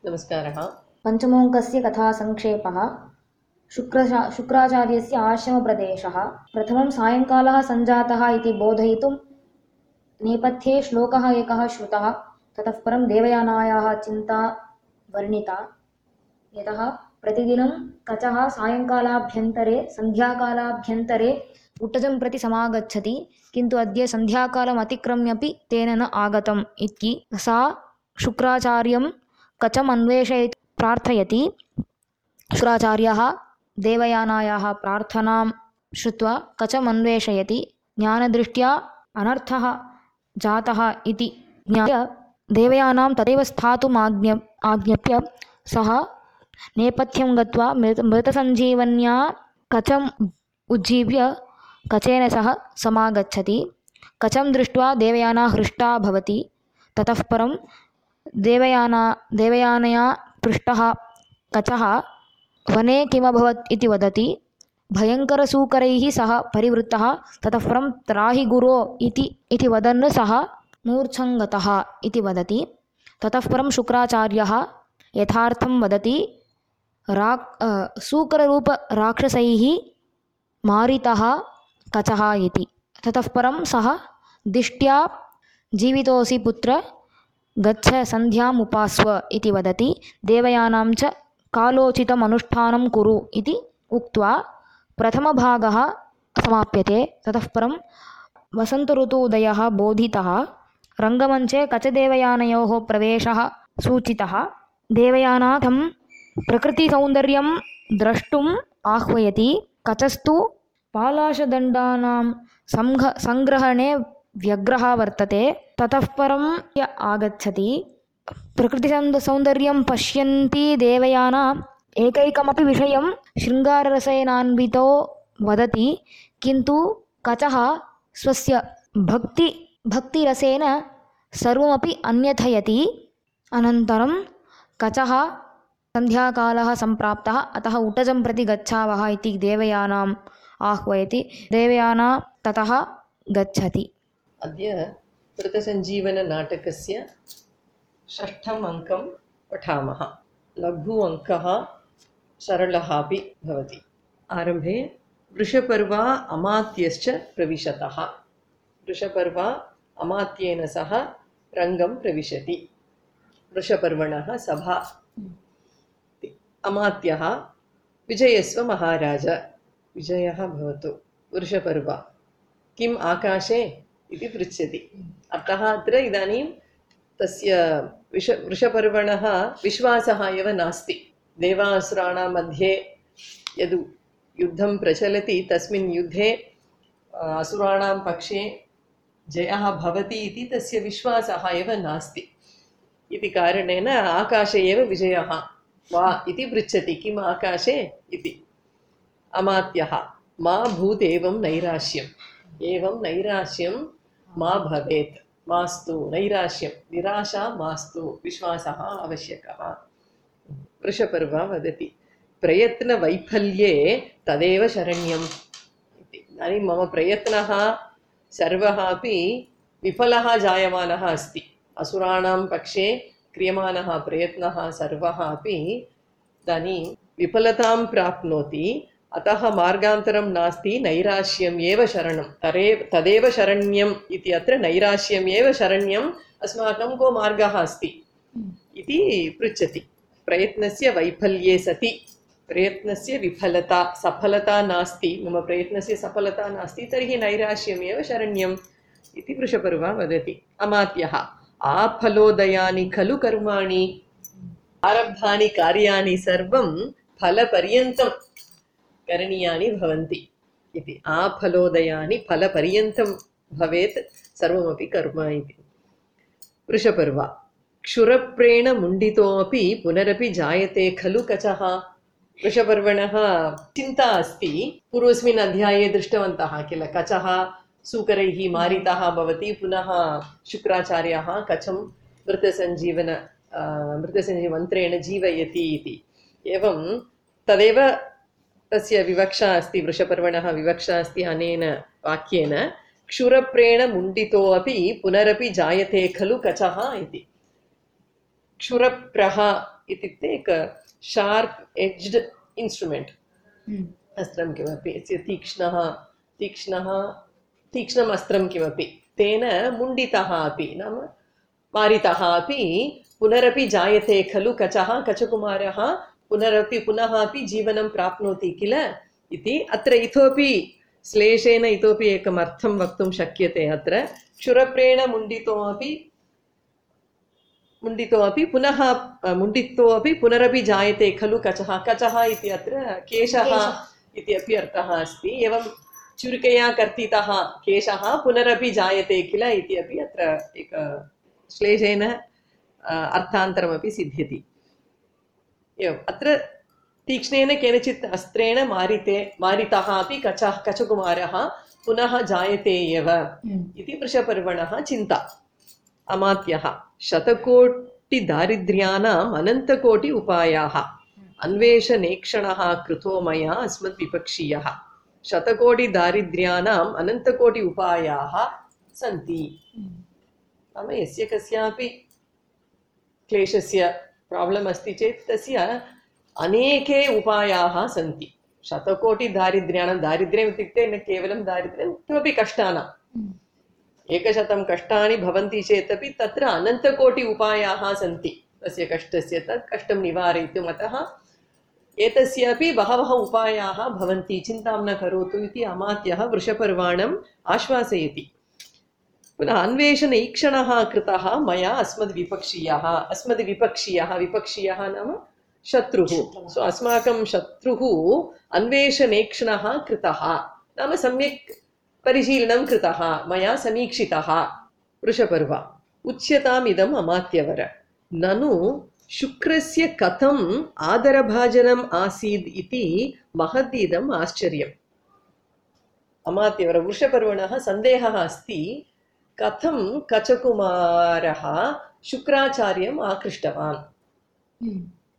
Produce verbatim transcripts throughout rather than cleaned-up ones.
नमस्कारः। पञ्चमोऽङ्कस्य कथासङ्क्षेपः। शुक्र शुक्राचार्यस्य आश्रमप्रदेशः। प्रथमं सायङ्कालः सञ्जातः इति बोधयितुं नेपथ्ये श्लोकः एकः श्रुतः। ततः परं देवयानायाः चिन्ता वर्णिता। यतः प्रतिदिनं कचः सायङ्कालाभ्यन्तरे सन्ध्याकालाभ्यन्तरे उट्टजं प्रति समागच्छति, किन्तु अद्य सन्ध्याकालम् अतिक्रम्यपि तेन न आगतम् इति सा शुक्राचार्यं कचम् अन्वेषयति प्रार्थयति। शुक्राचार्यः देवयानायाः प्रार्थनां श्रुत्वा कचम् अन्वेषयति। ज्ञानदृष्ट्या अनर्थः जातः इति ज्ञाय देवयानां तदेव स्थातुम् आज्ञ आज्ञप्य सः नेपथ्यं गत्वा मृत मृतसञ्जीवन्या कचम् उज्जीव्य कचेन सह समागच्छति। कचं दृष्ट्वा देवयाना हृष्टा भवति। ततः परं देवयाना देवयानया पृष्टः कचः वने किमभवत् इति वदति। भयङ्करसूकरैः सह परिवृत्तः। ततः परं त्राहि गुरो इति इति वदन् सः मूर्छङ्गतः इति वदति। ततः परं शुक्राचार्यः यथार्थं वदति। राक् सूकररूपराक्षसैः मारितः कचः इति। ततः परं सः दिष्ट्या जीवितोऽसि पुत्र, गच्छ सन्ध्याम् उपास्व इति वदति। देवयानां च कालोचितम् अनुष्ठानं कुरु इति उक्त्वा प्रथमभागः समाप्यते। ततः परं वसन्तऋतुदयः बोधितः। रङ्गमञ्चे कचदेवयानयोः प्रवेशः सूचितः। देवयाना तं प्रकृतिसौन्दर्यं द्रष्टुम् आह्वयति। कचस्तु पालाशदण्डानां सङ्घ सङ्ग्रहणे व्यग्रः वर्तते। ततः परं य आगच्छति। प्रकृतिसौन्दर्यं पश्यन्ती देवयाना एकैकमपि विषयं शृङ्गाररसेनान्वितो वदति, किन्तु कचः स्वस्य भक्ति भक्तिरसेन सर्वमपि अन्यथयति। अनन्तरं कचः सन्ध्याकालः सम्प्राप्तः, अतः उटजं प्रति गच्छावः इति देवयानाम् आह्वयति। देवयाना ततः गच्छति। अद्य मृतसञ्जीवननाटकस्य षष्ठम् अङ्कं पठामः। लघु अङ्कः, सरलः अपि भवति। आरम्भे वृषपर्वा अमात्यश्च प्रविशतः। वृषपर्वा अमात्येन सह रङ्गं प्रविशति। वृषपर्वणः सभा। अमात्यः विजयस्व महाराज। विजयः भवतु। वृषपर्वा किम् आकाशे इति पृच्छति। अतः अत्र इदानीं तस्य विष वृषपर्वणः विश्वासः एव नास्ति। देवासुराणां मध्ये यद् युद्धं प्रचलति तस्मिन् युद्धे असुराणां पक्षे जयः भवति इति तस्य विश्वासः एव नास्ति। इति कारणेन आकाशे एव विजयः वा इति पृच्छति। किम् आकाशे इति। अमात्यः मा भूत् एवं नैराश्यम्। एवं नैराश्यं मा भवेत्। मास्तु नैराश्यं, निराशा मास्तु, विश्वासः आवश्यकः। वृषपर्वा वदति प्रयत्नवैफल्ये तदेव शरण्यम् इति। इदानीं मम प्रयत्नः सर्वः अपि विफलः जायमानः अस्ति। असुराणां पक्षे क्रियमाणः प्रयत्नः सर्वः अपि इदानीं विफलतां प्राप्नोति। अतः मार्गान्तरं नास्ति, नैराश्यम् एव शरणं। तरे तदेव शरण्यम् इति। अत्र नैराश्यम् एव शरण्यम्। अस्माकं को मार्गः अस्ति इति पृच्छति। प्रयत्नस्य वैफल्ये सति प्रयत्नस्य विफलता सफलता नास्ति, मम प्रयत्नस्य सफलता नास्ति, तर्हि नैराश्यम् एव शरण्यम् इति वृषपर्वा वदति। अमात्यः आफलोदयानि खलु कर्माणि। आरब्धानि कार्याणि सर्वं फलपर्यन्तं करणीयानि भवन्ति इति। आफलोदयानि फलपर्यन्तं भवेत् सर्वमपि कर्म इति। वृषपर्वा क्षुरप्रेण मुण्डितोऽपि पुनरपि जायते खलु कचः। वृषपर्वणः चिन्ता अस्ति। पूर्वस्मिन् अध्याये दृष्टवन्तः किल, कचः सूकरैः मारितः भवति, पुनः शुक्राचार्यः कचं मृतसञ्जीवन मृतसञ्जीवमन्त्रेण जीवयति इति। एवं तदेव तस्य विवक्षा अस्ति। वृषपर्वणः विवक्षा अस्ति अनेन वाक्येन। क्षुरप्रेण मुण्डितोऽपि पुनरपि जायते खलु कचः इति। क्षुरप्रः इत्युक्ते एक शार्प् एज्ड् इन्स्ट्रुमेण्ट्, अस्त्रं किमपि तीक्ष्णः तीक्ष्णः तीक्ष्णम् अस्त्रं किमपि तेन मुण्डितः अपि नाम मारितः अपि पुनरपि जायते खलु कचः कचकुमारः पुनरपि पुनः अपि जीवनं प्राप्नोति किल इति अत्र इतोपि श्लेषेण इतोपि एकम् अर्थं वक्तुं शक्यते। अत्र क्षुरप्रेण मुण्डितोऽपि मुण्डितोऽपि पुनः मुण्डितोऽपि पुनरपि जायते खलु कचः। कचः इति अत्र केशः इति अपि अर्थः अस्ति। एवं चुरिकया कर्तितः केशः पुनरपि जायते किल इति अपि अत्र एक श्लेषेण अर्थान्तरमपि सिद्ध्यति। एवम् अत्र तीक्ष्णेन केनचित् अस्त्रेण मारिते मारितः अपि कचः कचकुमारः पुनः जायते एव इति वृषपर्वणः चिन्ता। अमात्यः शतकोटि दारिद्र्याणाम् अनन्तकोटि उपायाः अन्वेषणेक्षणः कृतो मया अस्मद्विपक्षीयः। शतकोटि दारिद्र्याणाम् अनन्तकोटि उपायाः सन्ति। नाम यस्य कस्यापि क्लेशस्य प्राब्लम् अस्ति चेत् तस्य अनेके उपायाः सन्ति। शतकोटि दारिद्र्याणां दारिद्र्यम् इत्युक्ते न केवलं दारिद्र्यं किमपि कष्टानाम् एकशतं कष्टानि भवन्ति चेदपि तत्र अनन्तकोटि उपायाः सन्ति तस्य कष्टस्य तत् कष्टं निवारयितुम्। अतः एतस्यापि बहवः उपायाः भवन्ति, चिन्तां न करोतु इति अमात्यः वृषपर्वाणम् आश्वासयति। पुनः अन्वेषण ईक्षणः कृतः मया अस्मद्विपक्षीयः। अस्मद्विपक्षीयः विपक्षीयः नाम शत्रुः। सो अस्माकं शत्रुः अन्वेषणेक्षणः कृतः नाम सम्यक् परिशीलनं कृतः मया समीक्षितः। वृषपर्व उच्यताम् इदम् अमात्यवर ननु शुक्रस्य कथम् आदरभाजनम् आसीत् इति महदिदम् आश्चर्यम्। अमात्यवर वृषपर्वणः सन्देहः अस्ति कथं कचकुमारः शुक्राचार्यम् आकृष्टवान्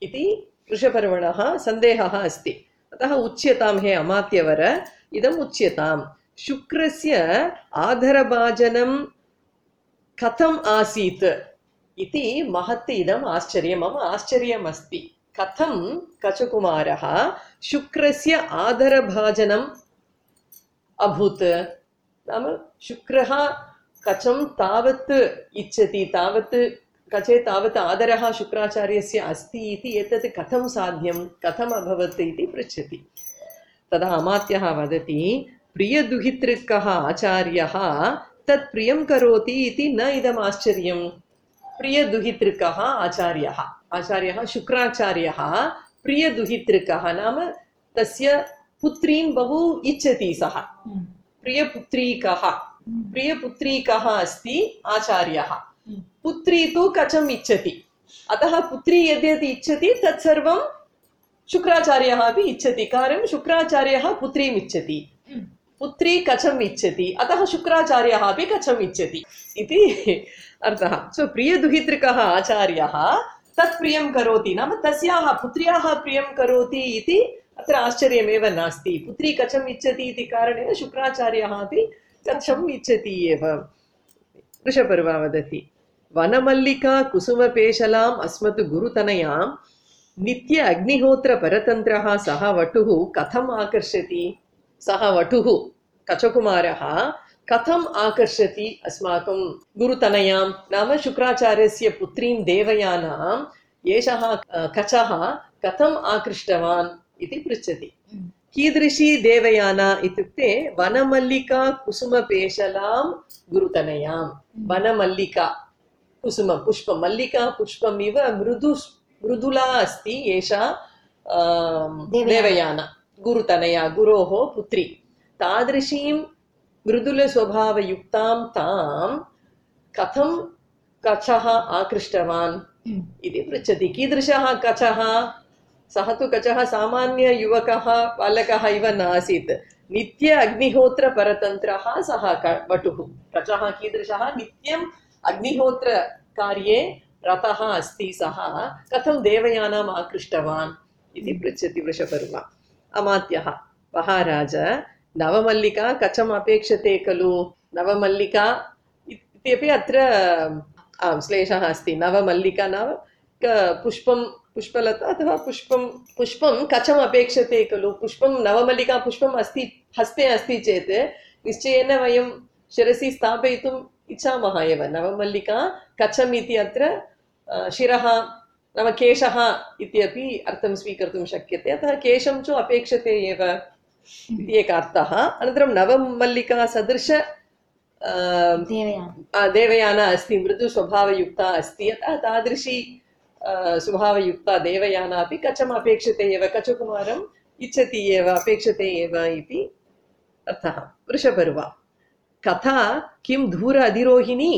इति वृषपर्वणः सन्देहः अस्ति। अतः उच्यतां हे अमात्यवर इदम् उच्यताम् शुक्रस्य आदरभाजनं कथम् आसीत् इति महत् इदम् आश्चर्यं। मम आश्चर्यम् अस्ति कथं कचकुमारः शुक्रस्य आदरभाजनम् अभूत्। नाम शुक्रः कचं तावत् इच्छति, तावत् कचे तावत् आदरः शुक्राचार्यस्य अस्ति इति एतत् कथं साध्यं कथम् अभवत् इति पृच्छति। तदा अमात्यः वदति प्रियदुहितृकः आचार्यः तत् प्रियं करोति इति न इदम् आश्चर्यम्। प्रियदुहितृकः आचार्यः आचार्यः शुक्राचार्यः प्रियदुहितृकः नाम तस्य पुत्रीं बहु इच्छति सः। प्रियपुत्रीकः प्रियपुत्रीकः अस्ति आचार्यः। पुत्री तु कचम् इच्छति। अतः पुत्री यद्यत् इच्छति तत्सर्वं शुक्राचार्यः अपि इच्छति। कारणं शुक्राचार्यः पुत्रीम् इच्छति, पुत्री कचम् इच्छति, अतः शुक्राचार्यः अपि कचम् इच्छति इति अर्थः। सो प्रियदुहितृकः आचार्यः तत् प्रियं करोति नाम तस्याः पुत्र्याः प्रियं करोति इति अत्र आश्चर्यमेव नास्ति। पुत्री कचम् इच्छति इति कारणेन शुक्राचार्यः अपि कचम् इच्छति एव। वृषपर्वा वदति वनमल्लिका कुसुमपेशलाम् अस्मत् गुरुतनयां नित्य अग्निहोत्र परतन्त्रः सः वटुः कथम् आकर्षति। सः वटुः कचकुमारः कथम् आकर्षति अस्माकं गुरुतनयां नाम शुक्राचार्यस्य पुत्रीं देवयानाम् एषः कचः कथम् आकृष्टवान् इति पृच्छति। कीदृशी देवयाना इत्युक्ते वनमल्लिका कुसुमपेशलां गुरुतनयां। वनमल्लिका कुसुम पुष्पं मल्लिका पुष्पम् इव मृदु मृदुला अस्ति एषा देवयाना गुरुतनया गुरोः पुत्री। तादृशीं मृदुलस्वभावयुक्तां तां कथं कचः आकृष्टवान् इति पृच्छति। कीदृशः कचः। सः तु कचः सामान्ययुवकः बालकः इव नासीत्। नित्य अग्निहोत्रपरतन्त्रः सः वटुः। कचः कीदृशः नित्यम् अग्निहोत्रकार्ये रतः अस्ति सः कथं देवयानाम् आकृष्टवान् इति पृच्छति वृषपर्व। अमात्यः महाराज नवमल्लिका कचम् अपेक्षते खलु। नवमल्लिका इत्यपि अत्र श्लेषः अस्ति। नवमल्लिका नाम पुष्पं पुष्पलता अथवा पुष्पं पुष्पं कचम् अपेक्षते खलु पुष्पं नवमल्लिका पुष्पम् अस्ति हस्ते अस्ति चेत् निश्चयेन वयं शिरसि स्थापयितुम् इच्छामः एव नवमल्लिका कचम् इति अत्र शिरः नाम केशः इत्यपि अर्थं स्वीकर्तुं शक्यते अतः केशं च अपेक्षते एव इति एकः अर्थः अनन्तरं नवमल्लिका सदृश देवयाना अस्ति मृदुस्वभावयुक्ता अस्ति अतः तादृशी स्वभावयुक्ता देवयाना अपि कचम् अपेक्षते एव कचकुमारम् इच्छति एव अपेक्षते एव इति अर्थः वृषपर्वा कथा किं दूर अधिरोहिणी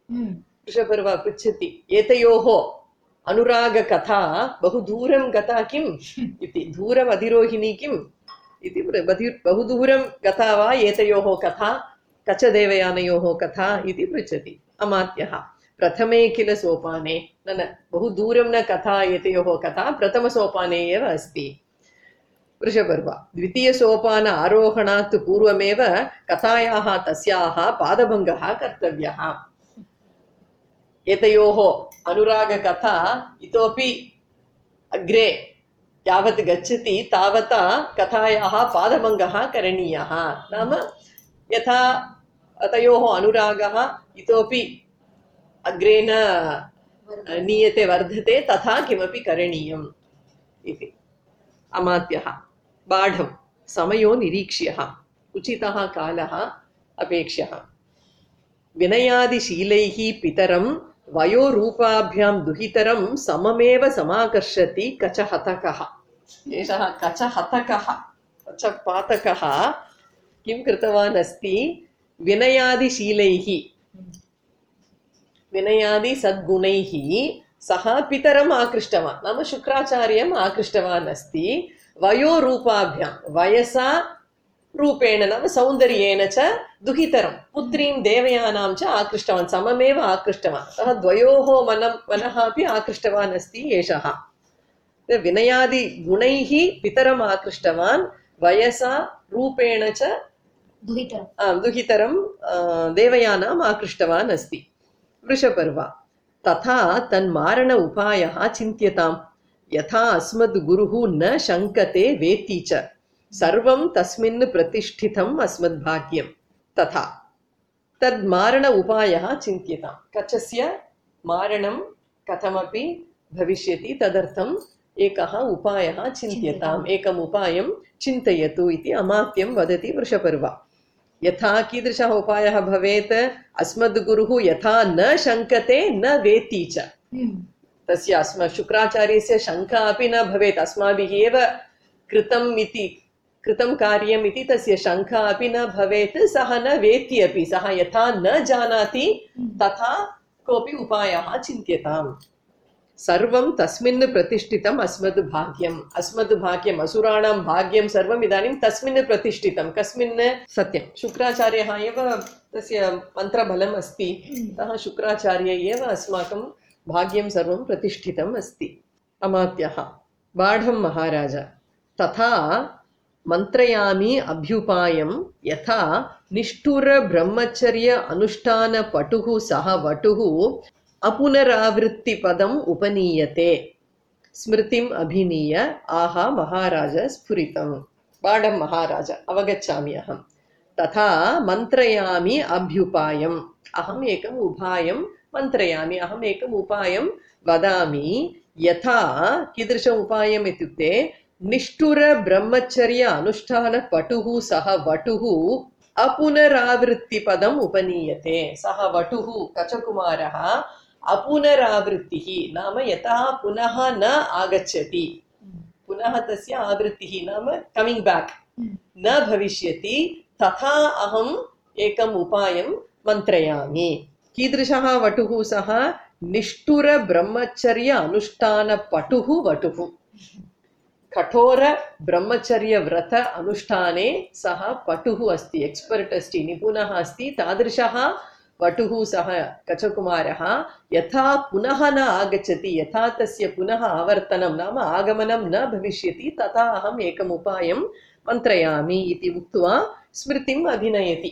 वृषपर्वा पृच्छति एतयोः अनुरागकथा बहु दूरं गता किम् इति दूरम् अधिरोहिणी किम् इति बहु दूरं गता वा एतयोः कथा कचदेवयानयोः कथा इति पृच्छति अमात्यः प्रथमे किल सोपाने न न बहु दूरं न कथा एतयोः कथा प्रथमसोपाने एव अस्ति वृषपर्वा द्वितीयसोपान आरोहणात् पूर्वमेव कथायाः तस्याः पादभङ्गः कर्तव्यः एतयोः अनुरागकथा इतोपि अग्रे यावत् गच्छति तावता कथायाः पादभङ्गः करणीयः नाम यथा तयोः अनुरागः इतोपि अग्रे न नीयते वर्धते तथा किमपि करणीयम् इति अमात्यः बाढं समयो निरीक्ष्यः उचितः कालः अपेक्ष्यः विनयादिशीलैः पितरं वयोरूपाभ्यां दुहितरं सममेव समाकर्षति कचहतकः एषः कचहतकः कचपातकः किं कृतवान् अस्ति विनयादिशीलैः विनयादि सद्गुणैः सः पितरम् आकृष्टवान् नाम शुक्राचार्यम् आकृष्टवान् अस्ति वयोरूपाभ्यां वयसा रूपेण नाम सौन्दर्येण च दुहितरं पुत्रीं देवयानां च आकृष्टवान् सममेव आकृष्टवान् सः द्वयोः मनः मनः अपि आकृष्टवान् अस्ति एषः विनयादि गुणैः पितरम् आकृष्टवान् वयसा रूपेण च दुहितरं दुहितरं देवयानाम् आकृष्टवान् अस्ति वृषपर्वा तथा तन्मारण उपायः चिन्त्यताम् यथा अस्मद् गुरुः न शङ्कते वेत्ति च सर्वं तस्मिन् प्रतिष्ठितम् अस्मद्भाग्यं तथा तद्मारण उपायः चिन्त्यताम् कचस्य मारणं कथमपि भविष्यति तदर्थम् एकः उपायः चिन्त्यताम् एकम् उपायं चिन्तयतु इति अमात्यं वदति वृषपर्वा यथा कीदृशः उपायः भवेत् अस्मद् गुरुः यथा न शङ्कते न वेत्ति च तस्य अस्मत् शुक्राचार्यस्य शङ्का अपि न भवेत् अस्माभिः एव कृतम् इति कृतं कार्यम् इति तस्य शङ्का अपि न भवेत् सः न वेत्ति अपि सः यथा न जानाति तथा कोऽपि उपायः चिन्त्यताम् सर्वं तस्मिन् प्रतिष्ठितम् अस्मद् भाग्यम् अस्मद् भाग्यम् असुराणां भाग्यं सर्वम् इदानीं तस्मिन् प्रतिष्ठितं कस्मिन् सत्यं शुक्राचार्यः एव तस्य मन्त्रबलम् अस्ति अतः शुक्राचार्य एव अस्माकं भाग्यं सर्वं प्रतिष्ठितम् अस्ति अमात्यः बाढं महाराज तथा मन्त्रयामि अभ्युपायं यथा निष्ठुर ब्रह्मचर्य अनुष्ठान पटुः सः वटुः अपुनरावृत्तिपदम् उपनीयते स्मृतिम् अभिनीय आहा महाराज स्फुरितम् बाढं महाराज अवगच्छामि अहं तथा मन्त्रयामि अभ्युपायम् अहम् एकम् उपायं मन्त्रयामि अहम् एकम् उपायं वदामि यथा कीदृश उपायम् इत्युक्ते निष्ठुर ब्रह्मचर्य अनुष्ठान पटुः सः वटुः अपुनरावृत्तिपदम् उपनीयते सः वटुः कचकुमारः अपुनरावृत्तिः नाम यथा पुनः न आगच्छति पुनः तस्य आवृत्तिः नाम कमिंग बैक न भविष्यति तथा अहम् एकम् उपायं मन्त्रयामि कीदृशः वटुः सः निष्ठुर ब्रह्मचर्य अनुष्ठान पटुः वटुः कठोर ब्रह्मचर्य व्रत अनुष्ठाने सः पटुः अस्ति एक्स्पर्ट् अस्ति निपुणः अस्ति तादृशः वटुः सः कचकुमारः यथा पुनः न आगच्छति यथा तस्य पुनः आवर्तनं नाम आगमनं न भविष्यति तथा अहम् एकम् उपायं मन्त्रयामि इति उक्त्वा स्मृतिम् अभिनयति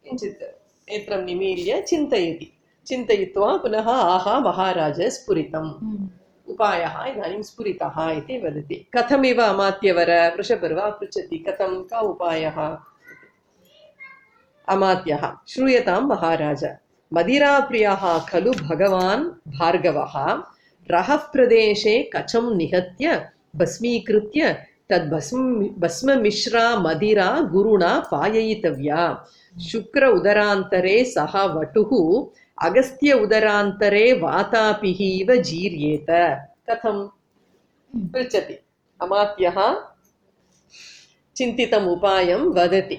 किञ्चित् नेत्रं निमील्य चिन्तयति चिन्तयित्वा पुनः आहा महाराज स्फुरितम् उपायः इदानीं स्फुरितः इति वदति। कथमिव अमात्यवर वृषपर्वा पृच्छति कथं का उपायः? अमात्यः श्रूयतां महाराज मदिराप्रियः खलु भगवान् भार्गवः रहः प्रदेशे कचं निहत्य भस्मीकृत्य तद्भस्म भस्ममिश्रा मदिरा गुरुणा पाययितव्या। शुक्र उदरान्तरे सः वटुः अगस्त्य उदरान्तरे वातापिः इव जीर्येत। कथं पृच्छति। अमात्यः चिन्तितम् उपायं वदति।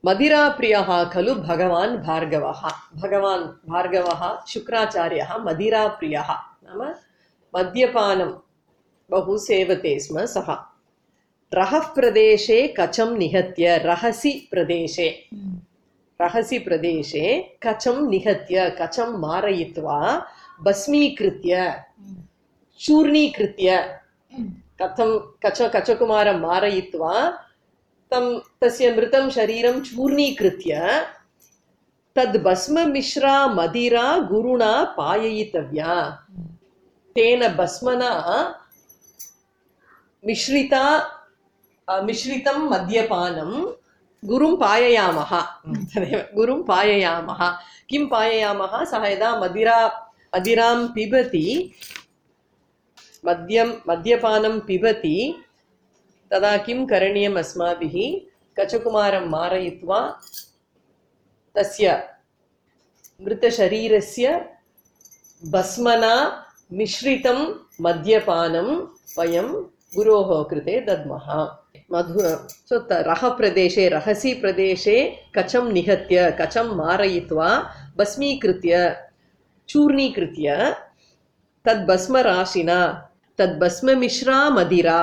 मदिराप्रियः खलु भगवान् भार्गवः। भगवान् भार्गवः शुक्राचार्यः मदिराप्रियः नाम मद्यपानं बहु सेवते स्म सः। रहः प्रदेशे कचं निहत्य रहसि प्रदेशे रहसि प्रदेशे कचं निहत्य कचं मारयित्वा भस्मीकृत्य चूर्णीकृत्य कथं कच कचकुमारं मारयित्वा तं तस्य मृतं शरीरं चूर्णीकृत्य तद् भस्ममिश्रा मदिरा गुरुणा पाययितव्या। तेन भस्मना मिश्रिता मिश्रितं मद्यपानं गुरुं पाययामः। तदेव गुरुं पाययामः। किं पाययामः? सः यदा मदिरा मदिरां पिबति मद्यं मद्यपानं पिबति तदा किं करणीयम् अस्माभिः? कचकुमारं मारयित्वा तस्य मृतशरीरस्य भस्मना मिश्रितं मद्यपानं वयं गुरोः कृते दद्मः। मधु सो रह प्रदेशे रहसि प्रदेशे कचं निहत्य कचं मारयित्वा भस्मीकृत्य चूर्णीकृत्य तद्भस्मराशिना तद्भस्ममिश्रा मदिरा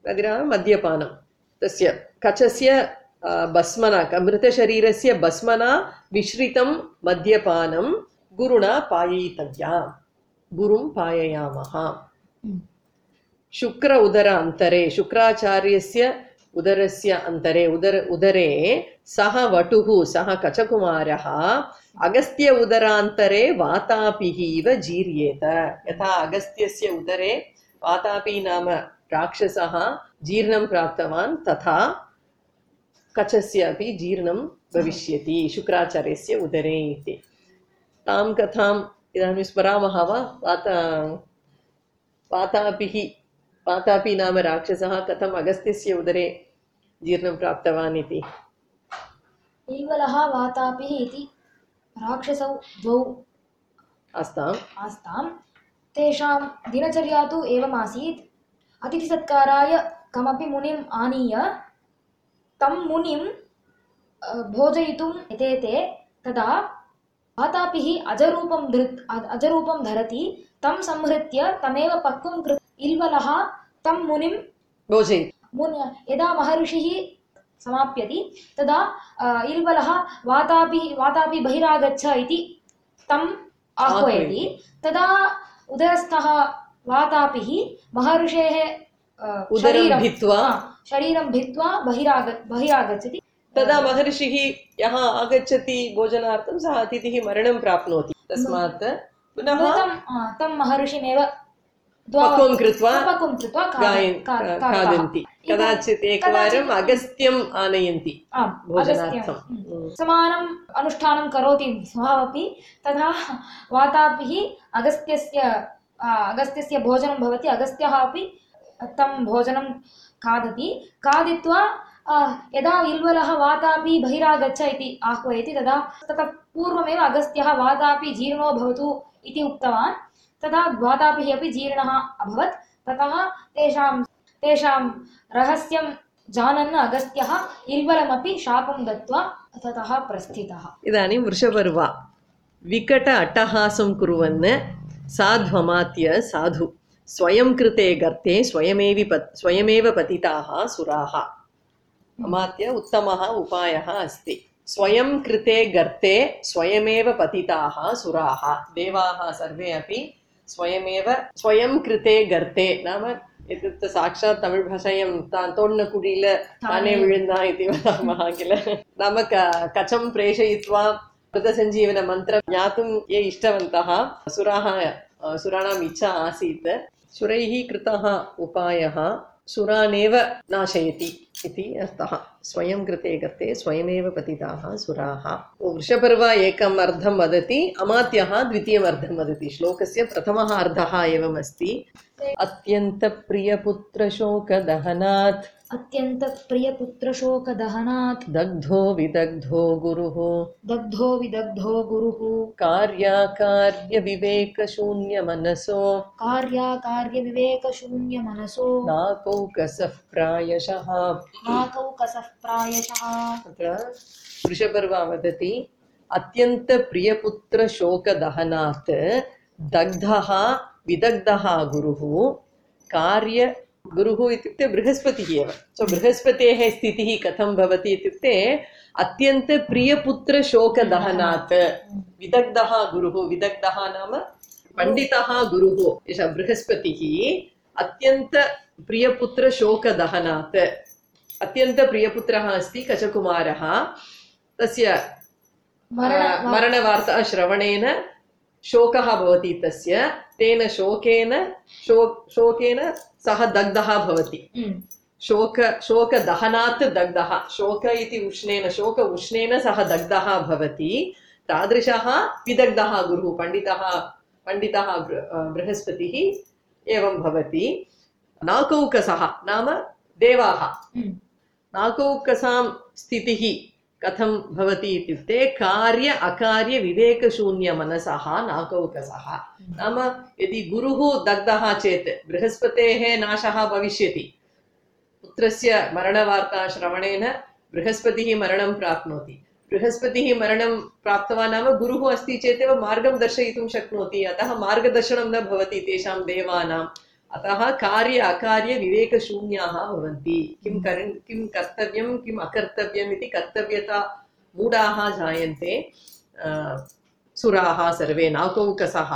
मदिरा मद्यपानं तस्य कचस्य भस्मना मृतशरीरस्य भस्मना मिश्रितं मद्यपानं गुरुणा पाययितव्या। गुरुं पाययामः। शुक्र उदर अन्तरे शुक्राचार्यस्य उदरस्य अन्तरे उदर उदरे सः वटुः सः कचकुमारः अगस्त्य उदरान्तरे वातापिः इव जीर्येत। यथा अगस्त्यस्य उदरे वातापि नाम राक्षसः जीर्णं प्राप्तवान् तथा कचस्य अपि जीर्णं भविष्यति शुक्राचार्यस्य उदरे इति। तां कथाम् इदानीं स्मरामः वा? वाता वातापिः वातापि नाम राक्षसः कथम् अगस्त्यस्य उदरे जीर्णं प्राप्तवान् इति। ईवलः वातापिः इति राक्षसौ द्वौ आस्ताम् आस्तां। तेषां दिनचर्या तु एवमासीत्। अतिथिसत्काराय कमपि मुनिम् आनीय तं मुनिं भोजयितुं यतेते तदा वातापिः अजरूपं धृत् अजरूपं धरति। तं संहृत्य तमेव पक्वं कृत्वा इल्वलः तं मुनिं भोजयति। मुनि यदा महर्षिः समाप्यति तदा इल्वलः वातापि वातापि बहिरागच्छ इति तम् आह्वयति। तदा उदरस्थः वातापिः महर्षेः उदरं भित्त्वा शरीरं भित्त्वा बहिराग बहिरागच्छति। तदा महर्षिः यः आगच्छति भोजनार्थं सः अतिथिः मरणं प्राप्नोति। तस्मात् पुनः तं महर्षिमेव पक्वं कृत्वा पक्वं कृत्वा खादन्ति। कदाचित् एकवारम् अगस्त्यम् आनयन्ति भोजनार्थं। समानम् अनुष्ठानं करोति सः अपि। तथा वातापिः अगस्त्यस्य अगस्त्यस्य भोजनं भवति। अगस्त्यः अपि तं भोजनं खादति। खादित्वा यदा इल्वलः वातापि बहिरागच्छ इति आह्वयति तदा ततः पूर्वमेव अगस्त्यः वातापि जीर्णो भवतु इति उक्तवान्। तदा वातापिः अपि जीर्णः अभवत्। ततः तेषां तेषां रहस्यं जानन् अगस्त्यः इल्वलमपि शापं दत्त्वा ततः प्रस्थितः। इदानीं वृषपर्वा विकट अट्टहासं कुर्वन् साध्वमात्य साधु स्वयं कृते गर्ते स्वयमेव पत् स्वयमेव पतिताः सुराः। अमात्य उत्तमः उपायः अस्ति। स्वयं कृते गर्ते स्वयमेव पतिताः सुराः। देवाः सर्वे अपि स्वयमेव स्वयं कृते गर्ते नाम इत्युक्ते साक्षात् तमिळ् भाषायां तोण्णकुडिल ताने विळुन्दा इति वदामः किल। नाम कचं प्रेषयित्वा मृतसञ्जीवनमन्त्रं ज्ञातुं ये इष्टवन्तः असुराः सुराणाम् इच्छा आसीत् सुरैः कृतः उपायः सुरानेव नाशयति इति अर्थः स्वयं कृते कर्ते स्वयमेव पतिताः सुराः वृषपर्व एकम् अर्धं वदति अमात्यः द्वितीयम् अर्धं वदति श्लोकस्य प्रथमः अर्धः एवमस्ति अत्यन्तप्रियपुत्रशोकदहनात् अत्यन्तप्रियपुत्रशोकदहनात् दग्धो विदग्धो गुरुः दग्धो विदग्धो गुरुः कार्याकार्यविवेकशून्यमनसो कार्याकार्यविवेकशून्यमनसो नाकौकसः प्रायशः नाकौकसः प्रायशः अत्र वृषपर्वा वदति अत्यन्तप्रियपुत्रशोकदहनात् दग्धः विदग्धः गुरुः कार्य गुरुः इत्युक्ते बृहस्पतिः एव सो बृहस्पतेः स्थितिः कथं भवति इत्युक्ते अत्यन्तप्रियपुत्रशोकदहनात् विदग्धः गुरुः विदग्धः नाम पण्डितः गुरुः एषः बृहस्पतिः अत्यन्तप्रियपुत्रशोकदहनात् अत्यन्तप्रियपुत्रः अस्ति कचकुमारः तस्य मरणवार्ता श्रवणेन शोकः भवति तस्य तेन शोकेन शो शोकेन सः दग्धः भवति शोक शोकदहनात् दग्धः शोक इति उष्णेन शोक उष्णेन सः दग्धः भवति तादृशः विदग्धः गुरुः पण्डितः पण्डितः बृहस्पतिः एवं भवति नाकौकसः नाम देवाः नाकौकसां स्थितिः कथं भवति इत्युक्ते कार्य अकार्य विवेकशून्य मनसः नाकौकसः नाम यदि गुरुः दग्धः चेत् बृहस्पतेः नाशः भविष्यति पुत्रस्य मरणवार्ता श्रवणेन बृहस्पतिः मरणं प्राप्नोति बृहस्पतिः मरणं प्राप्तवान् नाम गुरुः अस्ति चेदेव मार्गं दर्शयितुं शक्नोति अतः मार्गदर्शनं न भवति तेषां देवानाम् अतः कार्य अकार्य विवेकशून्याः भवन्ति किं कर् किं कर्तव्यं किम् अकर्तव्यम् इति कर्तव्यता मूढाः जायन्ते सुराः सर्वे नाकौकसः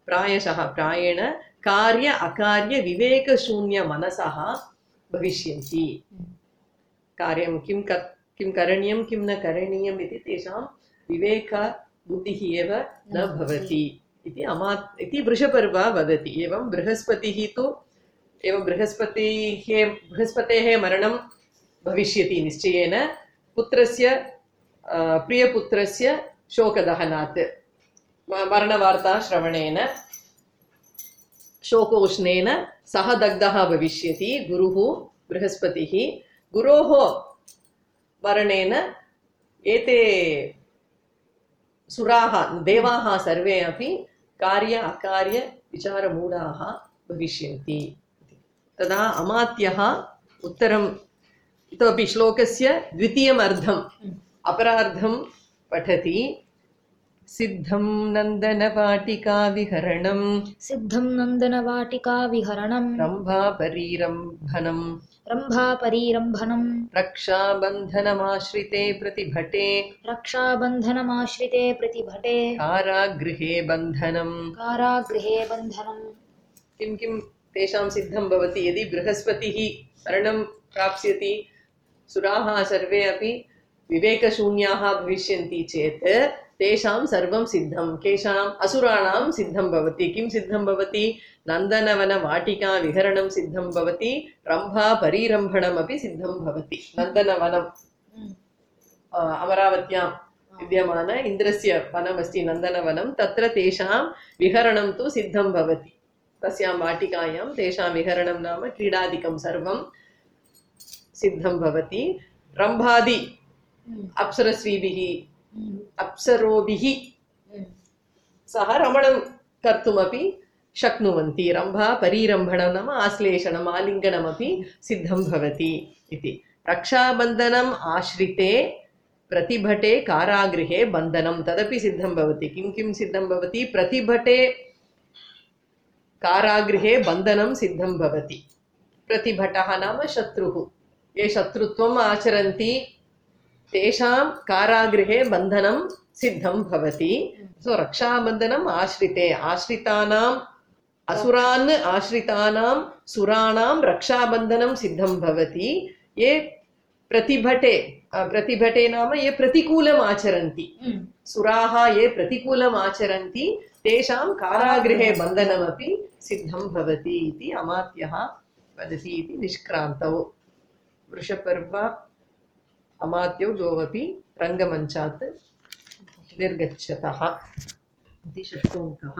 प्रायशः प्रायेण कार्य अकार्य विवेकशून्य मनसः भविष्यन्ति कार्यं किं किं करणीयं किं न करणीयम् इति तेषां विवेक बुद्धिः एव न भवति इति अमा इति वृषपर्व वदति एवं बृहस्पतिः तु एवं बृहस्पतिः बृहस्पतेः मरणं भविष्यति निश्चयेन पुत्रस्य प्रियपुत्रस्य शोकदहनात् मरणवार्ता श्रवणेन शोकोष्णेन सः दग्धः भविष्यति गुरुः बृहस्पतिः गुरोः मरणेन एते सुराः देवाः सर्वे अपि कार्य अकार्य विचारमूढाः भविष्यन्ति तदा अमात्यः उत्तरम् इतोपि श्लोकस्य द्वितीयम् अर्धम् अपरार्धं पठति सिद्धं नन्दनवाटिका विहरणं सिद्धं नन्दनवाटिका विहरणं रम्भापरीरम्भनं रम्भापरीरम्भनं रक्षाबन्धनमाश्रिते प्रतिभटे रक्षाबन्धनमाश्रिते प्रतिभटे कारागृहे बन्धनं कारागृहे बन्धनं किं किं तेषां सिद्धं भवति यदि बृहस्पतिः मरणं प्राप्स्यति सुराः सर्वे अपि विवेकशून्याः भविष्यन्ति चेत् तेषां सर्वं सिद्धं केषाम् असुराणां सिद्धं भवति किं सिद्धं भवति नन्दनवनवाटिका विहरणं सिद्धं भवति रम्भा परिरम्भणमपि सिद्धं भवति नन्दनवनम् अमरावत्यां विद्यमान इन्द्रस्य वनमस्ति नन्दनवनं तत्र तेषां विहरणं तु सिद्धं भवति तस्यां वाटिकायां तेषां विहरणं नाम क्रीडादिकं सर्वं सिद्धं भवति रम्भादि अप्सरस्वीभिः अप्सरोभिः सह रमणं कर्तुमपि शक्नुवन्ति रम्भा परिरम्भणं नाम आश्लेषणम् आलिङ्गनमपि सिद्धं भवति इति रक्षाबन्धनम् आश्रिते प्रतिभटे कारागृहे बन्धनं तदपि सिद्धं भवति किं किं सिद्धं भवति प्रतिभटे कारागृहे बन्धनं सिद्धं भवति प्रतिभटः नाम शत्रुः ये शत्रुत्वम् आचरन्ति तेषां कारागृहे बन्धनं सिद्धं भवति सो रक्षाबन्धनम् आश्रिते आश्रितानाम् असुरान् आश्रितानां सुराणां रक्षाबन्धनं सिद्धं भवति ये प्रतिभटे प्रतिभटे नाम ये प्रतिकूलम् आचरन्ति सुराः ये प्रतिकूलम् आचरन्ति तेषां कारागृहे बन्धनमपि सिद्धं भवति इति अमात्यः वदति इति निष्क्रान्तौ वृषपर्व अमात्यौ द्वौपि रङ्गमञ्चात् निर्गच्छतः इति षष्ठोऽङ्कः।